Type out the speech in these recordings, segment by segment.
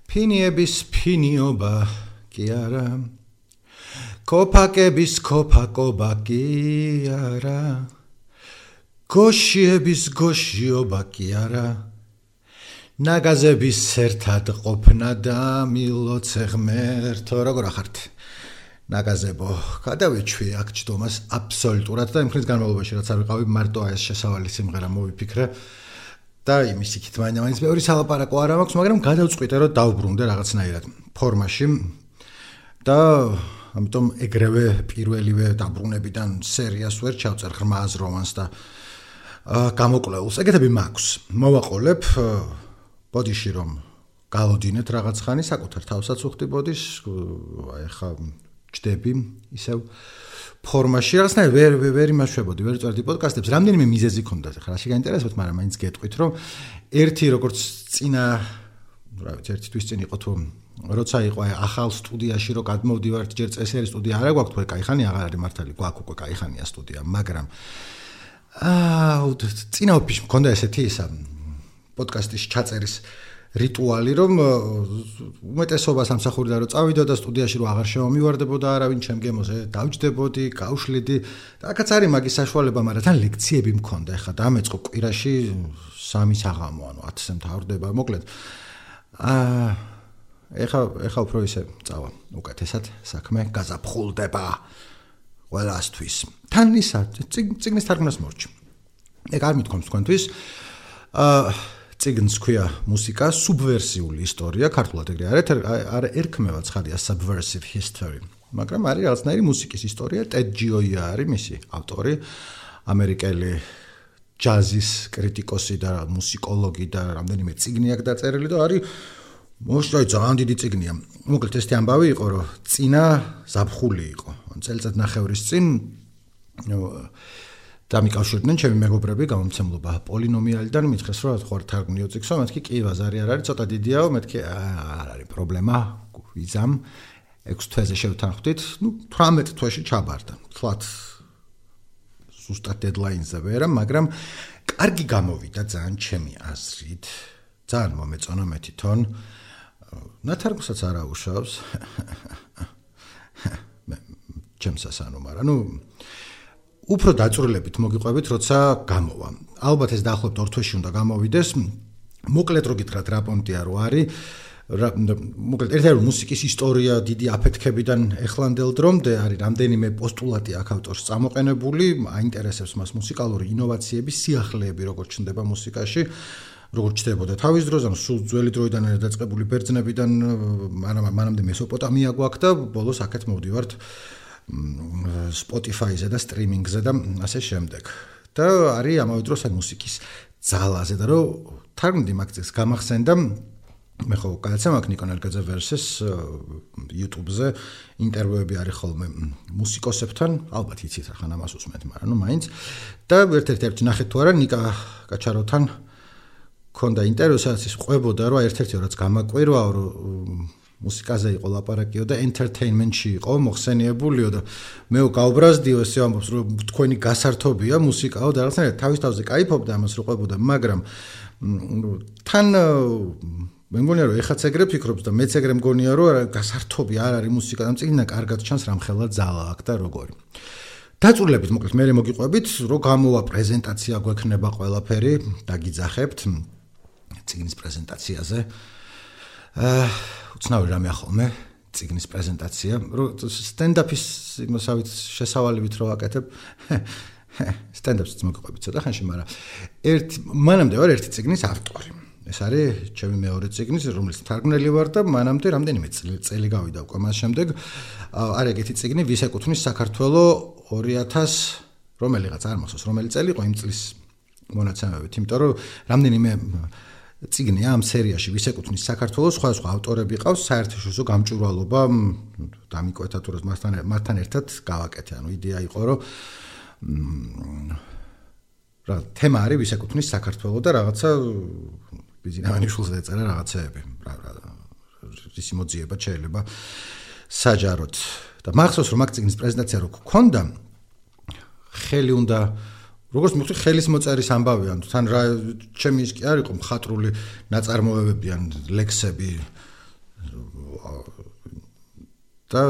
ფინიების ფინიობა კი არა კოფაკების კოფაკობა კი არა გოშიების გოშიობა კი არა ნაგაზების ერთად ყოფნა და მილოცე ღმერთო როგორ ახართ ნაგაზებო გადავეჩვი აქ ჯდომას აბსოლუტურად და იმ ხნის განმავლობაში რაც არ ვიყავი მარტო ეს შესავალი სიმღერა მოვიფიქრე და იმის იქით მაინც მეორე სალაპარაკო არ მაქვს მაგრამ გადავწყვიტე რომ დავბრუნდე რაღაცნაირად ფორმაში და ამიტომ ეგრევე პირველივე დაბრუნებიდან სერიას ვერ ჩავწერ ღრმას რომანს და გამოკვლეულს ეგეთები მაქვს მოვაყოლებ ბოდიში რომ გავოდინეთ რაღაც ხანი საკუთარ თავსაც უხდი ბოდიშ ეხა ჯდები ისევ ფორმაში რაღაცნაირად ვერ იმაშვებოდი ვერ წვერდი პოდკასტებს რამდენიმე მიზეზი ქონდათ ახლა რაში გაინტერესებთ მაგრამ მაინც გეტყვით რომ ერთი როგორც წინა რა ვიცი ერთი თვის წინ იყო თუ როცა იყო ახალ სტუდიაში რომ გადმოვდივართ ჯერ წესერი სტუდია არა გვაქვს თუ კაიხანი აღარ არის მართალი გვაქვს უკვე კაიხანია სტუდია მაგრამ წინა ოფისში მქონდა ესეთი ისა პოდკასტის ჩაწერის რიტუალი რომ უმეტესობას ამსახურდა რომ წავიდო და სტუდიაში რომ აღარ შემომივარდებოდა არავინ ჩემ გემოზე დავჯდებოდი გავშლიდი და აქაც არის მაგის საშუალება მაგრამ თან ლექციები მქონდა ეხლა დამეწყო კვირაში 3 საღამო ანუ 10-ზე მთავრდება მოკლედ ეხლა უფრო ისე წავა უკეთესად საქმე გაზაფხულდება ყველასთვის თან ისა წიგნის თარგმნას მორჩი ეგ არ მithქვამს თქვენთვის წიგნს ქვია მუსიკა სუბვერსიული ისტორია ქართულად ეგრე არ ერქმევა ცხადია subversive history მაგრამ არის რაღაცნაირი მუსიკის ისტორია ტედ ჯოია არის მისი ავტორი ამერიკელი ჯაზის კრიტიკოსი და მუსიკოლოგი და რამდენიმე წიგნი აქვს დაწერილი და არის მოშტოი ძალიან დიდი წიგნია მოკლედ ესეთი ამბავი იყო რომ წინა ზაფხული იყო წელიწად ნახევრის წინ დამიკავშირდნენ ჩემი მეგობრები გამომცემლობა პოლინომიალიდან მითხრეს რომ ხო თარგმნიო წიგნსო მეთქი კი ბაზარი არ არის ცოტა დიდიაო მეთქი არ არის პრობლემა ვიზამ 6 თვეზე შევთანხმდით 18 თვეში ჩაბარდა თვათ ზუსტად დედლაინზე ვერა მაგრამ კარგი გამოვიდა ძალიან ჩემი აზრით ძალიან მომეწონა მე თვითონ ნათარგმნსაც არ აუშავს ჩემსას ანუ მაგრამ უფრო დაწვრილებით მოგიყვებით, როცა გამოვა. ალბათ ეს დაახლოებით 2 თვეში უნდა გამოვიდეს. მოკლედ რო გითხრათ რა პონტია რო არის, მოკლედ ერთ-ერთი მუსიკის ისტორია დიდი აფეთქებიდან ეხლანდელ დრომდე არის რამდენიმე პოსტულატი აქ ავტორს წამოყენებული, აინტერესებს მას მუსიკალური ინოვაციების სიახლეები როგორ ჩნდება მუსიკაში. როგორც ჩნდებოდა თავის დროზე, ანუ სულ ძველი დროიდან დაწყებული ბერძნებიდან, მანამდე მესოპოტამია გვაქვს და ბოლოს აქეთ მოვდივართ Spotify-ზე და სტრიმინგზე და ასე შემდეგ. და არის ამავე დროს მუსიკის ძალაზე და რომ თარგმნი მაგის გამახსენდა მე ხო გადაცემა აქვს ნიკონ ელგაძე versus YouTube-ზე ინტერვიუები არის ხოლმე მუსიკოსებთან, ალბათ იცით ახლა ამას უსმენთ, მაგრამ მაინც და ერთ-ერთი ნახეთ თუ არა ნიკა კაჩაროვთან ქონდა ინტერვიუ, სადაც ის ყვებოდა რომ ერთ-ერთი რაც გამაკვირვაო რომ მუსიკაზე იყო ლაპარაკიო და entertainment-ში იყო მოხსენიებულიო და მე გავბრაზდიო ესე ამბობს რომ თქვენი გასართობია მუსიკაო და რაღაცნაირად თავის თავზე кайფობდა ამას რო ყვებოდა მაგრამ თან მე მგონია რომ ეხაც ეგრე ფიქრობს და მეც ეგრე მგონია რომ გასართობი არ არის მუსიკა და წიგნა კარგად ჩანს რამხელა ძალა აქვს და როგორი დაწვრილებით მოკლედ მე მოგიყვებით რომ გამოვა პრეზენტაცია გვექნება ყველაფერი დაგიძახებთ წიგნის პრეზენტაციაზე უცნაური რამე ახალმე წიგნის პრეზენტაცია სტენდაპის იმასავით შესავალებით რო ვაკეთებ სტენდაპს მოგიყვებით ცოტა ხანში მაგრამ მანამდე ვარ ერთი წიგნის ავტორი ეს არის ჩემი მეორე წიგნის რომელიც თარგმნელი ვარ და მანამდე რამდენიმე წელი გავიდა უკვე მას შემდეგ არის ეგეთი წიგნი ვის ეკუთვნის საქართველოს 2000 რომელიღაც არ მახსოვს რომელი წელი იყო იმ წლის მონაცემებით იმიტომ რომ რამდენიმე წიგნია ამ სერიაში ვის ეკუთვნის საქართველოს სხვა ავტორები ყავს საერთაშორისო გამჭვირვალობა დამიკვეთა თუ მასთან ერთად გავაკეთე ანუ იდეა იყო რომ რა თემა არის ვის ეკუთვნის საქართველოს და რაღაცა ბიზნესმენის ეწერა რაღაცეები ისი მოძიება შეიძლება საჯაროდ და მახსოვს რომ მაგ წიგნის პრეზენტაცია რო გქონდა ხელი უნდა როგორც მიხდი ხელის მოწერის ამბავი ან თან რა ჩემი ის კი არ იყო მხატვრული ნაწარმოებები ან ლექსები და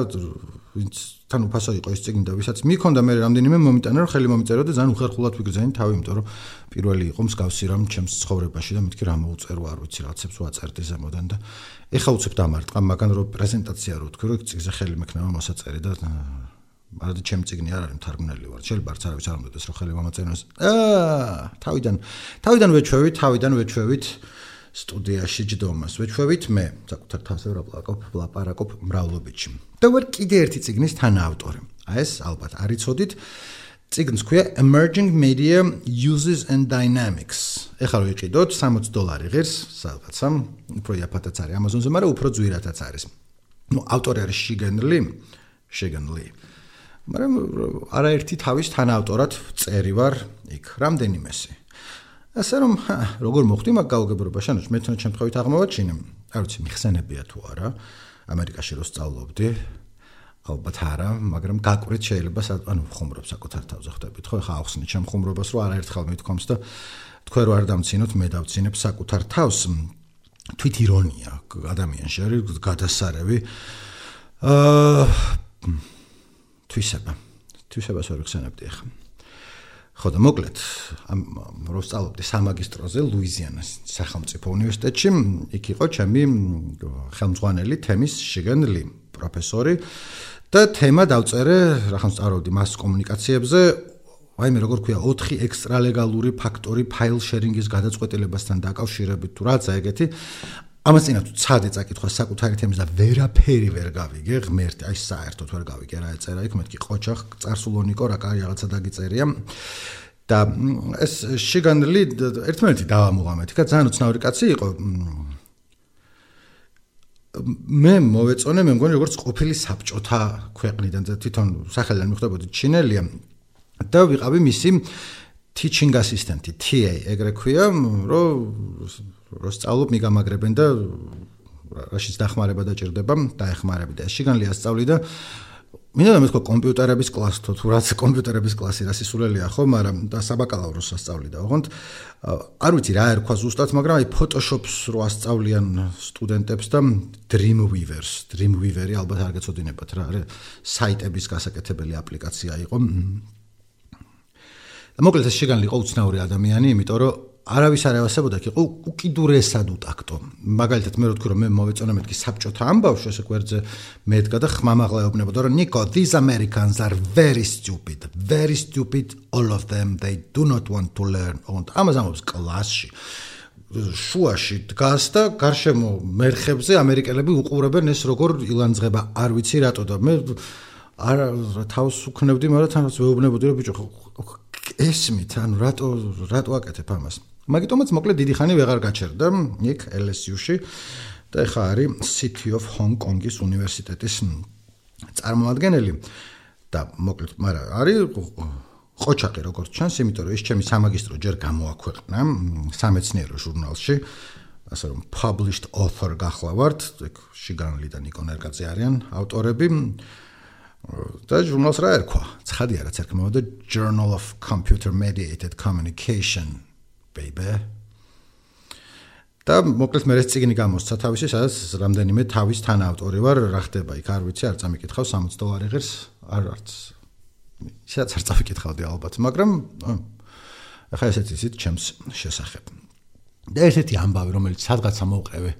თან უფასო იყო ეს წიგნი და ვისაც მიქონდა მე რამდენიმე მომიტანა რომ ხელი მომიწერო და ძალიან უხერხულად ვიგრძენი თავი, იმიტომ რომ პირველი იყო მსგავსი რამ ჩემს ცხოვრებაში და მეთქი რა მოუწერო, არ ვიცი, რაღაცებს ვაწერდი ზემოდან და ეხა უცებ დამარტყა, მაგრამ რომ პრეზენტაცია რო თქვი, რომ წიგნზე ხელი მექნება მოსაწერი და მაგრამ ჩემ წიგნი არ არის მთარგმნელი ვარ. შეიძლება არც არავის არ მომდოდეს რომ ხელი მომაწეროს. თავიდან ვეჩვევით სტუდიაში ჯდომას. ვეჩვევით მე საკუთარ თავზე ვლაპარაკობ მრავლობითში. და ვარ კიდე ერთი წიგნის თანაავტორი. ეს ალბათ არ იცოდით. წიგნს ქვია Emerging Media Uses and Dynamics. ეხლა რო იყიდოთ $60 ღირს სადღაცა, უფრო იაფათაც არის Amazon-ზე, მაგრამ უფრო ძვირადაც არის. ავტორი არის Shigan Lee. მაგრამ არაერთი თავის თანაავტორად წერი ვარ იქ რამდენიმესი. ასე რომ როგორ მოხდი მაგ გაუგებრობაში, ანუ მე თვითონ შემთხვევით აღმოვაჩინე, არ ვიცი მიხსენებია თუ არა, ამერიკაში რო სწავლობდი, ალბათ არა, მაგრამ გაკვირით შეიძლება ანუ ხუმრობ საკუთარ თავზე ხვდებით, ხო, ხა ახსნით ჩემ ხუმრობას, რომ არაერთხელ მithქვამს და თქვენ რო არ დამცინოთ, მე დავცინებ საკუთარ თავს. თვით ირონია ადამიანში არის გადასარევი. თვისებას ვერ ვხსენებდი ახლა. ხო და მოკლედ, რო ვსწავლობდი სამაგისტროზე ლუიზიანას სახელმწიფო უნივერსიტეტში, იქ იყო ჩემი ხელმძღვანელი თემის Shigan Lee, პროფესორი და თემა დავწერე, რახან ვსწავლობდი მას კომუნიკაციებზე, ვაიმე როგორ ქვია 4 ექსტრალეგალური ფაქტორი ფაილ შერინგის გადაწყვეტილებასთან დაკავშირებით თუ რაცა ეგეთი. ამას წინა თუ ცადე წაკითხვა საკუთარი თემის და ვერაფერი ვერ გავიგე, ღმერთი, აი საერთოდ ვერ გავიგე რა ეწერა იქ, მეთქი ყოჩახ, წარსულონიკო, რა კარი რაღაცა დაგიწერია. და ეს Shigan Lee ერთმანეთი დავამუღამეთ, იქა ძალიან უცნაური კაცი იყო. მე მოვეწონე, მე მგონი როგორც ყოფილი საბჭოთა ქვეყნიდან და თვითონ სახელიდან მიხვდებოდი ჩინელია და ვიყავი მისი teaching assistant-ი, TA, ეგრე ქვია, რომ სწავლობ მიგამაგრებენ და რაშიც დახმარება დაჭირდება, დაეხმარები და Shigan Lee ასწავლი და მინდა მეთქვა კომპიუტერების კლასს, თუ რაც კომპიუტერების კლასი რა სისულელია ხო, მაგრამ და საბაკალავროს ასწავლი და ოღონდ არ ვიცი რა ერქვა ზუსტად, მაგრამ აი Photoshop-ს რო ასწავლიან სტუდენტებს და Dreamweaver-ი ალბათ არ გეცოდინებათ რა, საიტების გასაკეთებელი აპლიკაცია იყო. მოკლედ ეს Shigan Lee იყო უცნაური ადამიანი, იმიტომ რომ არავის არ ევასებოდა, იყო უკიდურესად უტაქტო. მაგალითად მე რო თქვი რომ მე მოვეწონა მეთქი საბჭოთა ამბავში, ესე გვერდზე მედგა და ხმამაღლა ეუბნებოდა რომ Nico, these Americans are very stupid, all of them, they do not want to learn. ამას ამბობს კლასში. შუაში დგას და გარშემო მერხებზე ამერიკელები უყურებენ ეს როგორ ილანძღება, არ ვიცი რატო და მე არ თავს უქნევდი, მაგრამ თანაც ვეუბნებოდი რომ ბიჭო ესმით, ანუ რატო აკეთებ ამას. მაგიტომაც მოკლედ დიდი ხანი ვეღარ გაჩერდა იქ LSU-ში და ეხა არის City of Hong Kong-ის უნივერსიტეტის წარმომადგენელი და მოკლედ, მაგრამ არის ყოჩაყი როგორც ჩანს, იმიტომ რომ ეს ჩემი სამაგისტრო ჯერ გამოაქვეყნა სამეცნიერო ჟურნალში, ასე რომ published author გახლავართ, ეგ Shigan Lee და Nico Nergadze არიან ავტორები. და ჟურნალს რა ერქვა? ცხადია რაც ერქმევა Journal of Computer Mediated Communication, baby. და მოკლედ მე ეს წიგნი გამოსცა თავისი, სადაც რამდენიმე თავის თანაავტორი ვარ, რა ხდება იქ არ ვიცი, არ წამიკითხავ $60 ღირს, არც. ისაც არ წავიკითხავდი ალბათ, მაგრამ ახლა ესეც ისიც ჩემს შესახებ. და ერთ-ერთი ამბავი, რომელიც სადღაცა მოვყევე,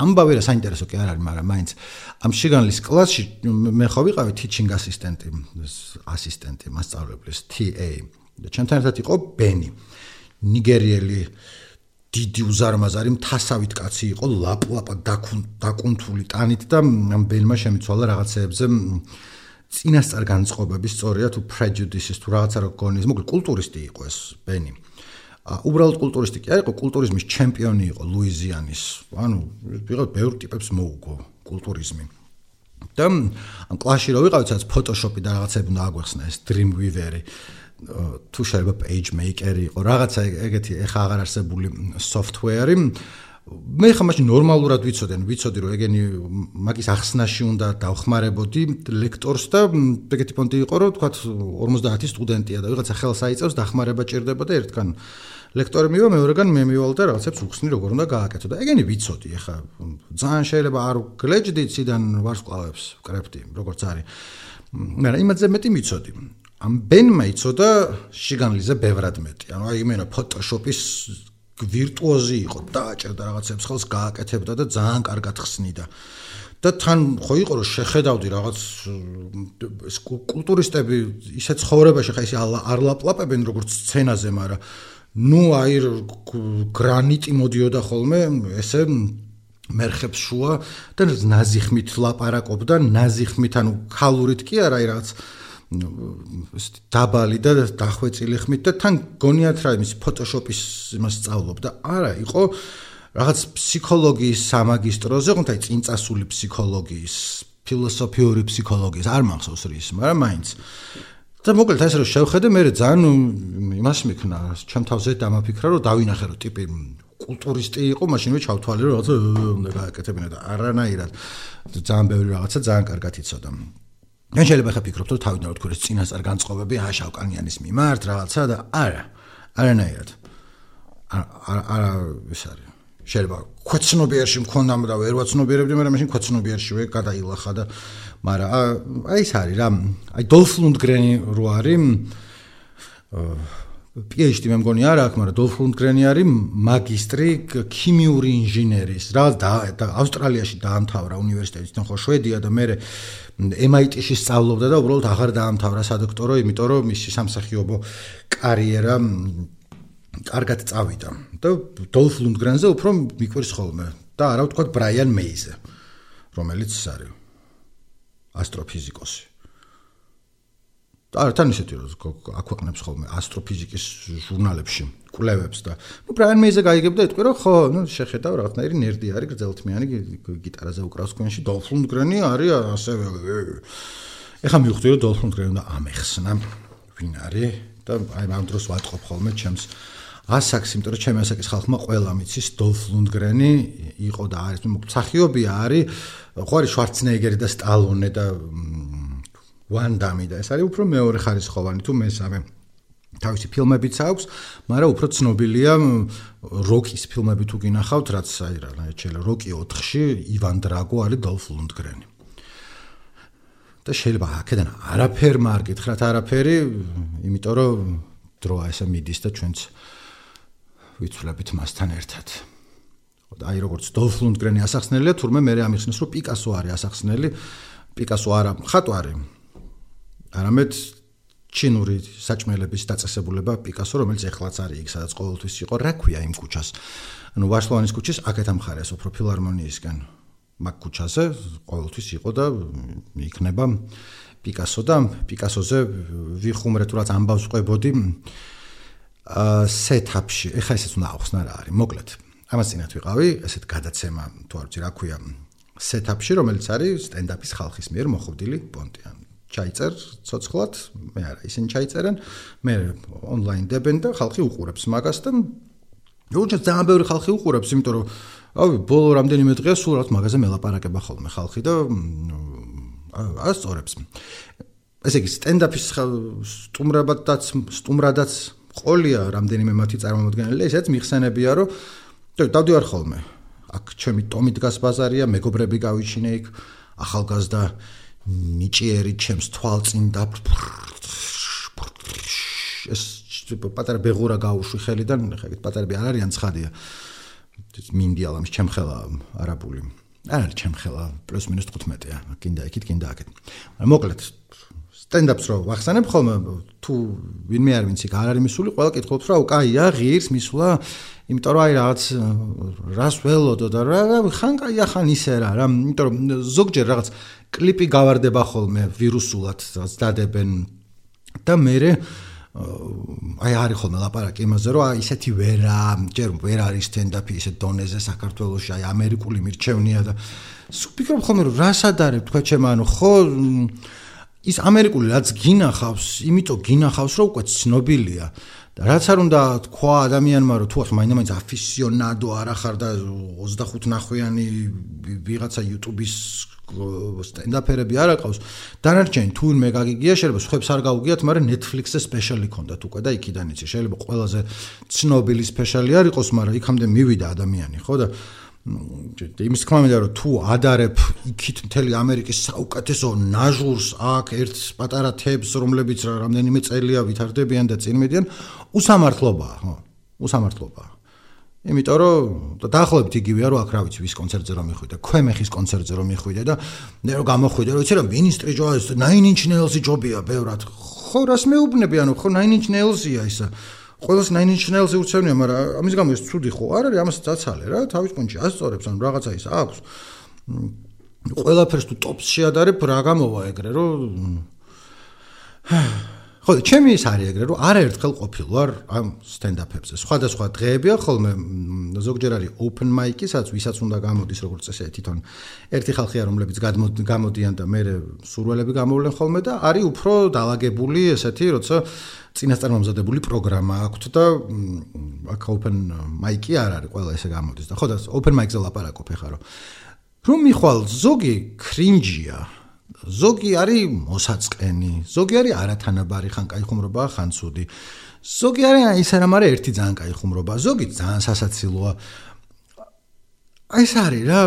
ამბავი რა საინტერესო კი არ არის, მაგრამ მაინც ამ Shigan Lee-ის კლასში მე ხო ვიყავი teaching assistant-ი, მასწავლებლის TA. და ჩემთან ერთად იყო Beni, ნიგერიელი დიდი უზარმაზარი მთასავით კაცი იყო, ლაპლაპა დაკუნთული ტანით და ამ Beni-მა შემიცვალა რაღაცეებზე წინასწარ განწყობების სწორია თუ prejudices თუ რაღაცა რო გონიes, მოკლედ კულტურისტი იყო ეს Beni. უბრალოდ კულტურისტი კი არ იყო, კულტურიზმის ჩემპიონი იყო ლუიზიანის. ანუ ვიღოთ ბევრ ტიპებს მოუგო კულტურიზმი. და ამ კლასში რო ვიყავით, სადაც Photoshop-ი და რაღაცები უნდა აგვეხსნა, ეს Dreamweaver-ი, თუ შეიძლება PageMaker-ი იყო, რაღაცა ეგეთი ეხა აღარ არსებული software-ი. მე ხა მაშინ ნორმალურად ვიცოდი რომ ეგენი მაგის ახსნაში უნდა დავხმარებოდი ლექტორს და ეგეთი პონტი იყო რომ თქვათ 50 სტუდენტია და ვიღაცა ხელს აიწევს დახმარება ჭირდება და ერთგან ლექტორი მივა, მეორეგან მე მივალ და რაღაცებს უხსნი როგორ უნდა გააკეთო და ეგენი ვიცოდი ეხა ძალიან შეიძლება არ გლეჯდით ციდან ვარსკვლავებს ვკრებდი როგორც არის მაგრამ იმაზე მეტი ვიცოდი ამ ბენმა იცოდა შიგანლიზე ბევრად მეტი ანუ აი იმენა ფოტოშოპის ვირტუოზი იყო დააჭერდა რაღაცებს ხელს გააკეთებდა და ძალიან კარგად ხსნიდა და თან ხო იყო რომ შეხედავდი რაღაც კულტურისტები ისე ცხოვრებაში ხა ისე არ ლაპლაპებენ როგორც სცენაზე მაგრამ ნუ აი გრანიტი მოდიოდა ხოლმე ესე მერხებს შუა და ნაზიხმით ლაპარაკობდა ნაზიხმით ანუ ქალურით კი არა აი რაღაც დაბალი და დახვეწილი ხმით და თან გონიათ რა იმის ფოტოშოპის იმას სწავლობდა არა იყო რაღაც ფსიქოლოგიის სამაგისტროზე ხონთ აი წინწასული ფსიქოლოგიის ფილოსოფიური ფსიქოლოგიის არ მახსოვს რის მაგრამ მაინც და მოკლედ ეს რომ შევხედე მე ძალიან იმას მიქნა ჩემ თავზე დამაფიქრა რომ დავინახე რომ ტიპი კულტურისტი იყო მაშინვე ჩავთვალე რომ რაღაცა უნდა გააკეთებინა და არანაირად ძალიან ბევრი რაღაცა ძალიან კარგად იცოდა ან შეიძლება ხა ფიქრობთ რომ თავიდან რა თქო ეს წინასწარ განწყობები შავკანიანის მიმართ რაღაცა და არანაირად არა ეს არის შეიძლება ქვეცნობიერში მქონდა და ვერ ვაცნობიერებდი მაგრამ მაშინ ქვეცნობიერშივე გადაილახა და მაგრამ აი ეს არის რა აი დოლფ ლუნდგრენი რო არის PhD მე მგონი არ აქვს მაგრამ დოლფ ლუნდგრენი არის მაგისტრი ქიმიური ინჟინერის რა და ავსტრალიაში დაამთავრა უნივერსიტეტიდან ხო შვედია და მე MIT-ში სწავლობდა და უბრალოდ აღარ დაამთავრა სადოქტორო იმიტომ რომ მისი სამსახიობო კარიერა კარგად წავიდა და დოლფ ლუნდგრენზე უფრო მიკვირს ხოლმე და არა ვთქვათ ბრაიან მეიზე რომელიც არის ასტროფიზიკოსი და თან ისეთი რომ აქვეყნებს ხოლმე ასტროფიზიკის ჟურნალებში კვლევებს და ნუ ბრაიან მეიზე გაიგებდა იტყვი რომ ხო ნუ შეხედავ რაღაცნაირი ნერდი არის გრძელთმიანი გიტარაზე უკრავს თქვენში დოლფ ლუნდგრენი არის ასევე ეხლა მივხვდი რომ დოლფ ლუნდგრენი უნდა ამეხსნა ვინ არის და აი ამ დროს ვატყობ ხოლმე ჩემს ასაკს, იმიტომ რომ ჩემი ასაკის ხალხმა ყველა მიცის დოლფ ლუნდგრენი იყო და არის მსახიობია არის ხო არის შვარცენეგერი და სტალონე და ვან დამი და ეს არის უფრო მეორე ხარისხოვანი თუ მესამე თავისი ფილმებიც აქვს, მაგრამ უფრო ცნობილია როკის ფილმები თუ გინახავთ, რაც აი რა შეიძლება როკი 4-ში ივან დრაგო არის დოლფ ლუნდგრენი. და შეიძლება აქედან არაფერ მარკითხრათ არაფერი, იმიტომ რომ დროა ესე მიდის და ჩვენც ვიცვლებით მასთან ერთად. აი როგორც დოლფ ლუნდგრენი ასახსნელია, თურმე მე ამიხსნეს რომ პიკასო არის ასახსნელი, პიკასო არა მხატვარი. არამედ ჩინური საჭმელების დაწესებულება პიკასო, რომელიც ეხლაც არის იქ, სადაც ყოველთვის იყო, რა ქვია იმ ქუჩას? ანუ ვარშავანის ქუჩის აქეთ ამხარეს უფრო ფილარმონიისგან. მაგ ქუჩაზე ყოველთვის იყო და იქნება პიკასო და პიკასოზე ვიხუმრე თუ რაც ამბავს ყვებოდი სეტაპში. ეხლა ესეც უნდა ახსნა რა არის. მოკლედ, ამას წინათ ვიყავი, ესეთ გადაცემა თუ არ ვიცი რა ქვია, სეტაპში, რომელიც არის სტენდაპის ხალხის მიერ მოხდილი პონტი. ჩაიწერ ცოცხლად, მე არა, ისინი ჩაიწერენ, მე ონლაინ დებენ და ხალხი უყურებს მაგას და უბრალოდ ძალიან ბევრი ხალხი უყურებს, იმიტომ რომ ავი ბოლო რამდენიმე დღეა სულ რაღაც მაგაზე მელაპარაკება ხოლმე ხალხი და ასწორებს. ესე იგი სტენდაპის სტუმრადაც ყოლია რამდენიმე მათი წარმომადგენელი, ესეც მიხსენებია, რომ დავდივარ ხოლმე. აქ ჩემი ტომი დგას ბაზარია, მეგობრები გავიჩინე იქ, ახალგაზრდა ნიჭიერი ჩემს თვალწინ და ეს პატარა ბეღურა გაუშვი ხელიდან, ხა ეგეთ პატარები არ არიან ცხადია. მინდიალა მის ჩემხელა არაბული. არ არის ჩემხელა, პლუს მინუს 15-ია, კიდე იქით, კიდე აქეთ. მოკლედ სტენდაპს რო ვახსენებ ხოლმე, თუ ვინმე არ ვინც იქ არ არის მისული, ყველა კითხულობს რა, კაია, ღირს მისვლა, იმიტომ რომ აი რაღაც რას ველოდო და რა ხან კაია ხან ისე რა, იმიტომ რომ ზოგჯერ რაღაც კლიპი გავარდება ხოლმე ვირუსულად, რაც დადებენ და მე აი არის ხოლმე ლაპარაკი იმაზე, რომ აი ისეთი ჯერ ვერ არის სტენდაპი ისეთ დონეზე საქართველოში, აი ამერიკული მირჩევნია და ვფიქრობ ხოლმე რომ რასად არის თქვა ჩემ ანუ ხო ის ამერიკული რაც გინახავს, იმიტომ გინახავს რომ უკვე ცნობილია და რაც არ უნდა თქვა ადამიანმა რომ თუ ახლა მაინც აფისიონადო არ ახარ და 25 ნახვიანი ვიღაცა YouTube-ის სტენდაპერები არ აყავს დანარჩენი თუ მე გაგიგია შეიძლება სხვებს არ გაუგიათ მაგრამ Netflix-ზე სპეშალი ქონდათ უკვე და იქიდან იცი შეიძლება ყველაზე ცნობილი სპეშალი არ იყოს მაგრამ იქამდე მივიდა ადამიანი ხო და იმის თქმა მინდა რომ თუ ადარებ იქით მთელი ამერიკის საუკეთესო ნაჟურს აქ ერთ პატარა თებს რომლებიც რამდენიმე წელია ვითარდებიან და წინ მიდიან უსამართლობაა ხო უსამართლობაა იმიტომ რომ დაახლოებით იგივეა რომ აქ რა ვიცი ვის კონცერტზე რომ მიხვიდე ქვემეხის კონცერტზე რომ მიხვიდე და მე რომ გამოხვიდე რომ იცი რა მინისტრი ჯოის 9 Inch Nails-ი ჯობია ბევრად ხო რას მეუბნები ანუ ხო 9 Inch Nails-ია ისა ყველას 9 Inch Nails-ი უცევნია მაგრამ ამის გამო ეს ცუდი ხო არ არის ამას დაცალე რა თავის კონჩი ასწორებს ანუ რაღაცა ის აქვს ყველაფერს თუ ტოპს შეადარებ რა გამოვა ეგრე რომ ხო ჩემი ის არის ეგრე რომ არაერთხელ ყოფილვარ ამ სტენდაპებზე სხვადასხვა დღეებია ხოლმე ზოგჯერ არის open mic-ი სადაც ვისაც უნდა გამოდის როგორც წესი თვითონ ერთი ხალხია რომლებიც გამოდიან და მე სურველები გამოვლენ ხოლმე და არის უფრო დაალაგებული ესეთი როცა წინასწარმომზადებული პროგრამა აქვს და აქ open mic-ი არ არის ყველა ესე გამოდის და ხო და open mic-ზე ლაპარაკობ ხარო რომ მიხვალ ზოგი cringe-ია ზოგი არის მოსაწყენი, ზოგი არის არათანაბარი, ხან კაი ხუმრობაა, ხან ცუდი. ზოგი არის ის არა, მაგრამ ერთი ძალიან კაი ხუმრობაა, ზოგი ძალიან სასაცილოა. აი ეს არის რა,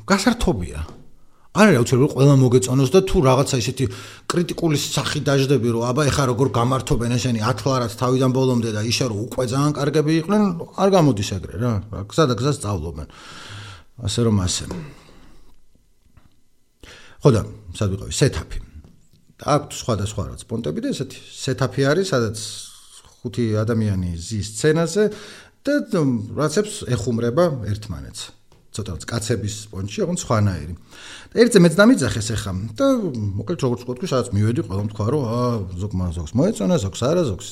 გასართობია. არ არის აუცილებელი ყველა მოგეწონოს და თუ რაღაცა ისეთი კრიტიკული სახი დაждები რომ აბა ეხა როგორ გამართობენ ესენი ათლარად თავიდან ბოლომდე და ისე რომ უკვე ძალიან კარგები იყვნენ, არ გამოდის ეგრე რა. გზა და გზას სწავლობენ. ასე რომ ასე. ხო და სად ვიყავი სეტაპი. აქვს სხვადასხვა რაც პონტები და ესეთი სეტაპი არის, სადაც 5 ადამიანი ზის სცენაზე და რაცებს ეხუმრება ერთმანეთს. ცოტა კაცების პონჩი, ოღონდ სხვანაირი. და ერთზე მეც დამიძახეს ახლა და მოკლედ როგორც ვთქვი, სადაც მივედი, ყველამ თქვა რომ ზოგს მოეწონა, ზოგს არა, ზოგს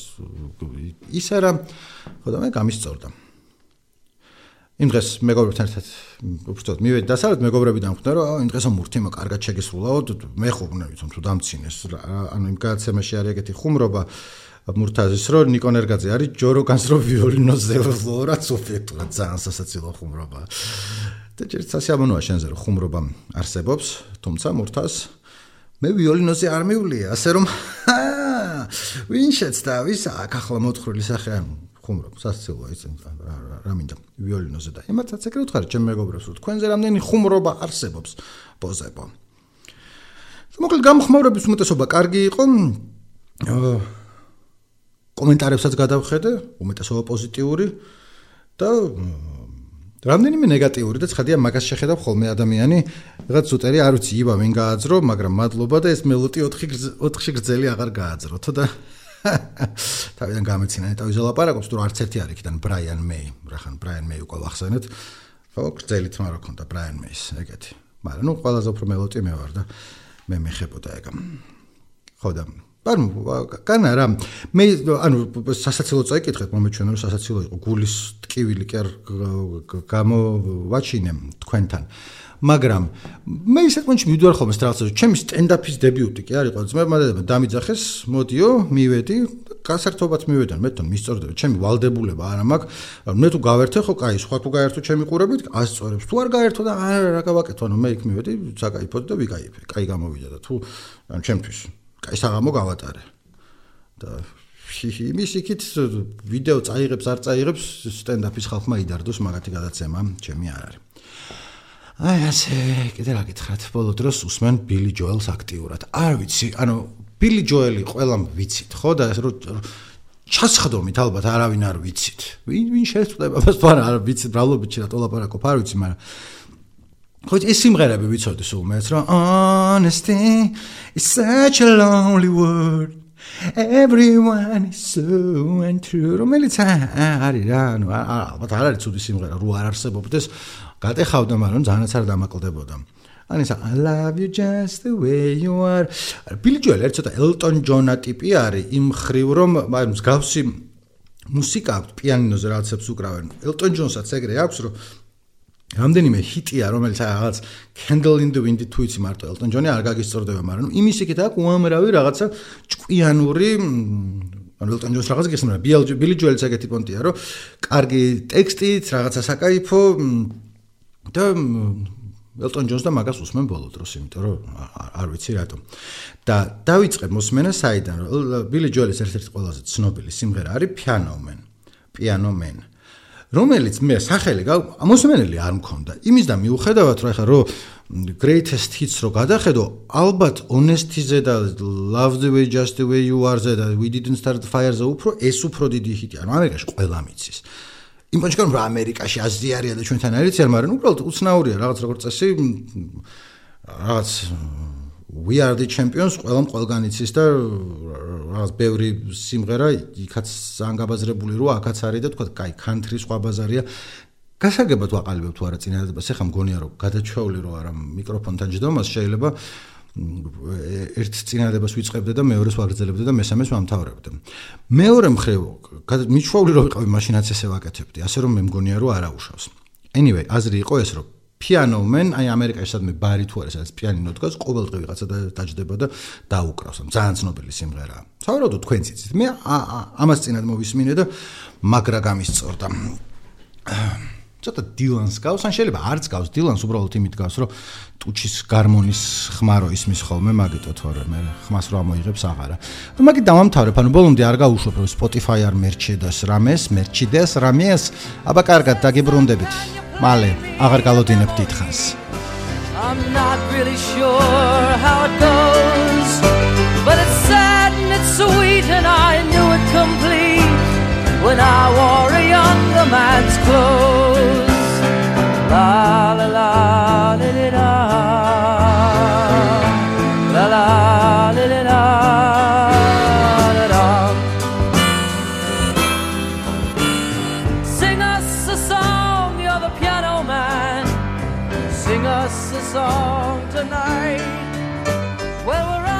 ის არა. ხო და მე გამისწორდა. იმ დღეს მეგობრებთან ერთად უბრალოდ მივედი დასავლეთ მეგობრები დამხვდნენ რომ იმ დღესო მურთიმო კარგად შეგესრულაო მე ხო უნდა ვიცი თუ დამცინეს ანუ იმ გადაცემაში არის ეგეთი ხუმრობა მურთაზის რომ ნიკონ ერგაძე არის ჯოროგანს რომ ვიოლინოზე ვფლორა სუბიექტურად ძალიან სასაცილო ხუმრობა და ჯერ სასიამოვნოა შენზე რომ ხუმრობა არსებობს თუმცა მურთას მე ვიოლინოზე არ მივლია ასე რომ ვინ შეცდა ვის აქ ახლა მოთხრული სახე ხუმრობ სასაცილოა ის რა მინდა ვიოლინოზე და იმათაც ეგრე ვთხარი ჩემ მეგობრებს რომ თქვენზე რამდენი ხუმრობა არსებობს პოზებო მოკლედ გამხმაურების უმეტესობა კარგი იყო კომენტარებსაც გადავხედე უმეტესობა პოზიტიური და რამდენიმე ნეგატიური და ცხადია მაგას შეხედავ ხოლმე ადამიანი რაღაც ზუტერი არ ვიცი იბა ვინ გააძრო მაგრამ მადლობა და ეს მელოტი 4-ში გრძელი აღარ გააძროთო და თავიდან გამეცინა ნეტავიზე ლაპარაკობს თუ არც ერთი არ იქიდან ბრაიან მეი რახან ბრაიან მეი უკვე ვახსენეთ ხო გრძელი თმა რა ქონდა ბრაიან მეის ეგეთი მაგრამ ნუ ყველაზე უფრო მელოტი მე ვარ და მე მეხებოდა ეგ ხო და ანუ კანა რა მე ანუ სასაცილო წაიკითხეთ მომეჩვენა რომ სასაცილო იყო გულის ტკივილი კი არ გამოვაჩინე თქვენთან მაგრამ მე ისეთ მომენტში მივდივარ ხოლმე სტრასბურგში ჩემი სტენდაპის დებიუტი კი არის ყოველთვის მე დამიძახეს მოდიო მივედი გასართობად მივედან მე თან მისწორდება ჩემი ვალდებულება არა მაქვს მე თუ გავერთე ხო კაი სხვა თუ გაერთო ჩემი ყურებით ასწორებს თუ არ გაერთო და რა გავაკეთო ანუ მე იქ მივედი საკაიფოდ და ვიკაიფე კაი გამოვიდა და თუ ანუ ჩემთვის კაი საღამო გავატარე და იმის იქით ვიდეო წაიღებს არ წაიღებს სტენდაპის ხალხმა იდარდოს მაგათი გადაცემა ჩემი არ არის აი ასე კიდე რა გითხრათ ბოლო დროს უსმენ ბილი ჯოელს აქტიურად არ ვიცი ანუ ბილი ჯოელი ყველამ ვიცით ხო და ჩასხდომით ალბათ არავინ არ ვიცით ვინ შეწყვეტება მას თუ არ ვიცით ბრალობით შეიძლება ლაპარაკობ არ ვიცი მაგრამ ხო ეს სიმღერები ვიცოდი სულ მეც რომ honesty is such a lonely word everyone is so untrue რომელიც არის რა ანუ ალბათ არ არის ცუდი სიმღერა რო არ არსებობდეს გატეხავდა მაგრამ ძალიანაც არ დამაკლდებოდა ანუ ისა I love you just the way you are ბილი ჯოელი ერთ ცოტა ელტონ ჯონა ტიპი არის იმ ხრივ რომ მსგავსი მუსიკა აქვს პიანინოზე რაღაცებს უკრავენ ელტონ ჯონსაც ეგრე აქვს რომ რამდენიმე ჰიტია რომელიც რაღაც Candle in the Wind თუ იცი მარტო ელტონ ჯონი არ გაგისწორდება მაგრამ იმის იქით აქვს უამრავი რაღაცა ჭკვიანური ანუ ელტონ ჯონს რაღაც გიხსნა, ბილი ჯოელიც ეგეთი პონტია, რომ კარგი ტექსტით, რაღაცა საკაიფო და ელტონ ჯონს და მაგას უსმენ ბოლო დროს, იმიტომ რომ არ ვიცი რატომ. და დავიწყე მოსმენა საიდან, რომ ბილი ჯოელის ერთ-ერთი ყველაზე ცნობილი სიმღერა არის Piano Man. რომელიც მე სახელი მოსმენელი არ მქონდა. იმის და მიუხედავად, რომ ეხლა რომ greatest hits რო გადახედო, ალბათ honesty-ზე და love the way just the way you are-ზე და we didn't start the fire-ზე ეს უფრო დიდი ჰიტია. ანუ ამერიკაში ყველა მიცის. იმ პონჩკან რომ ამერიკაში აზიარია და ჩვენთან არის არ, მაგრამ უბრალოდ უცნაურია რაღაც როგორც წესი რაღაც we are the champions ყველგან იცის და რაღაც ბევრი სიმღერა იქაც ანგაბაზრებული რო აქაც არის და თქვა კაი country სხვა ბაზარია გასაგებად ვაყალიბებ თუ არა წინადადებას ეხა მგონია რომ გადაჩვეული რო არა მიკროფონთან ჯდომას შეიძლება ერთ წინადადებას ვიწყებდე და მეორეს ვაგრძელებდე და მესამეს ვამთავრებდე მეორე მხრივ მიჩვეული რო ვიყავი მაშინაც ესე ვაკეთებდი ასე რომ მე მგონია რომ არა უშავს anyway აზრი იყო ეს რომ Piano Man, აი ამერიკაში სადმე ბარი თუ არის, სადაც პიანინო დგას, ყოველდღე ვიღაცა დაჯდება და დაუკრავს. ძალიან ცნობილი სიმღერაა. სავარაუდოდ თქვენც იცით. მე ამას წინად მოვისმინე და მაგრა გამისწორდა. ცოტა დილანს გავს, ან შეიძლება არც გავს, დილანს უბრალოდ იმით გავს, რომ ტუჩის გარმონის ხმარო ისმის ხოლმე, მაგიტო თორე მე ხმას რო ამოიღებს აღარა. რომ მაგით დავამთავრებ, ანუ ბოლომდე არ გავუშვებ, რომ Spotify არ მერჩედას რამეს, აბა კარგად დაგიბრუნდებით. მალე აღარ გალოდინებ დიდხანს I'm not really sure how it goes but it's sad and it's sweet and I knew it complete when I wore a younger man's clothes la la la la la la la la la la Sing us a song tonight. Well, we're